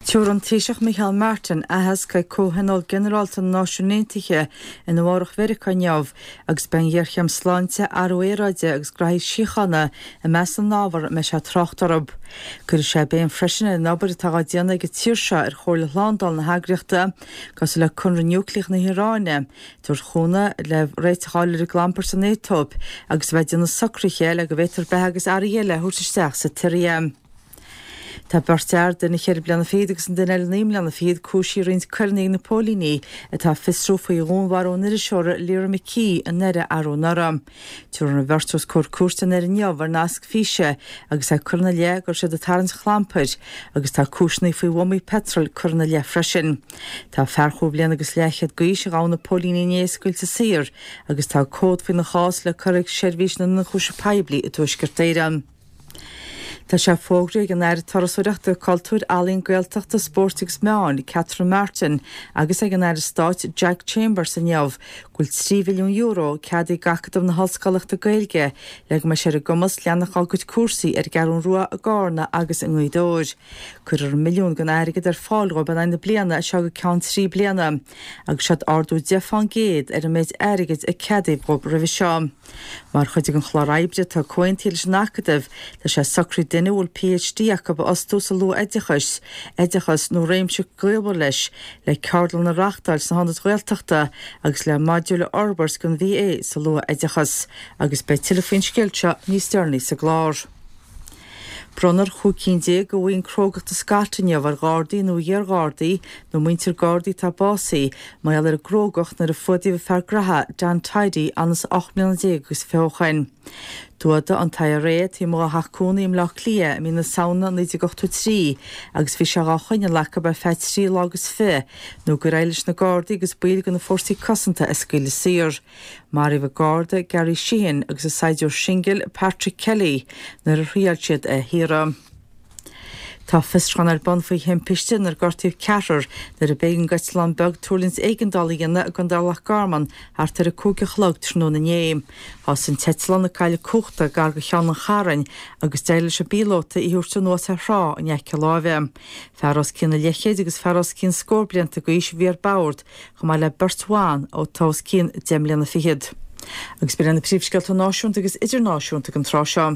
Tabharfaidh an Taoiseach Micheál Martin aitheasc ag Comhthionól Ginearálta na Náisiún Aontaithe i Nua Eabhrac Mheiriceá inniu agus beidh an ghéarchéim sláinte, athrú aeráide agus graithí síochána i measc na n-ábhar a mbeidh sé ag trácht orthu. Cuirfidh sé béim freisin ar an obair atá á déanamh ag an tír seo ar Chomhairle Shlándála na heagraíochta, cosúil le conradh núicléach na hIaráine, tabhairt cúnamh le réiteach a fháil ar an gclampar san Aetóip agus a bheith ag déanamh socruithe le go bhféadfar beatha agus earraí eile a thabhairt isteach sa tSiria. Tá beirt fhear, duine cheithre bliana fichead agus an duine eile 9 mbliana fichead, cúisithe i roinnt coireanna ag na póilíní atá ag fiosrú faoi dhúnmharú an iriseora Lyra McKee i nDoire arú anuraidh. Tabharfar an bheirt os comhair cúirte i nDoire inniu ar nasc físe agus é curtha ina leith go raibh siad ag tarraingt chlampair agus tá cúiseanna faoi bhuamaí peitril curtha ina leith freisin. Tá fear chúig bhliana agus leathchéad d'aois a ghabh na póilíní inné scaoilte saor agus tá comhad faoina chás le cur ag Seirbhís na nIonchúiseamh Poiblí i dTuaisceart Éireann. Tá sé fógraithe ag an Aire Turasóireachta, Cultúir, Ealaíon, Gaeltachta, Spóirt agus Meáin, Catherine Martin agus ag an Aire Stáit Jack Chambers inniu go bhfuil €3 mhilliún ceadaithe ag Acadamh na hOllscolaíochta Gaeilge le go mbeidh sé ar a gcumas leanacht dá gcuid cúrsaí ar an gCeathrú Rua, i gCarna agus i nGaoth Dobhair. Cuirfear an milliún den airgead ar fáil dhóibh in aghaidh na bliana as seo go ceann 3 bliana agus seod ardú 10 fán gcéad ar an méid airgid a ceadaíodh dhóibh roimhe seo. Mar chuid den chlár oibre atá comhaontaithe leis an Acadamh, tá sé socraithe duine a bhfuil PhD acu a fhostú sa luath-oideachas, oideachas nó réimse gaolmhar leis, le ceardlanna a reáchtáil sna hionaid Ghaeltachta agus le modúil a fhorbairt don BA sa luath-oideachas agus beidh tuilleadh faoin scéal seo níos deireanaí sa gclár. Bronnfar 15 cinn de bhoinn Crógachta Scott inniu ar Ghardaí nó iar-Ghardaí nó muintir Gardaí atá básaithe mar gheall ar a gcrógacht nuair a fuadaíodh an fear graithe Don Tidey anas 18 mbliana agus 20 ó shoin. D'fhuadaigh an t-IRA é taobh amuigh dá theach cónaí i mBleá Cliath i mí na Samhna 1983 agus bhí sé dhá choinneáil acu ar feadh trí lá agus fiche nó gur éirigh leis na Gardaí agus baill de na Fórsaí Cosanta é a scaoileadh saor. Maraíodh an Garda Gary Sheehan agus an saighdiúir singil Patrick Kelly nuair a thriail siad é a shaoradh. Tá fiosrúchán ar bun faoi thimpiste inar gortaíodh ceathrar nuair a b'éigean d'eitleán beag tuirlingt éigeandála a dhéanamh i gContae Loch Garman thart ar 5 a chlog tráthnóna inné. Thosaigh an t-eitleán ag cailleadh cumhachta gar do Cheann an Chairn agus d'éirigh leis an bpíolóta í a thabhairt anuas ar thrá in aice láimhe. Fear os cionn an leathchéid agus fear os cionn scór blianta d'aois a bhí ar bord chomh maith le beirt bhan atá os cionn 10 mbliana fichead. Agus b'in iad na príomhscéalta náisiúnta agus idirnáisiúnta ag an tráth seo.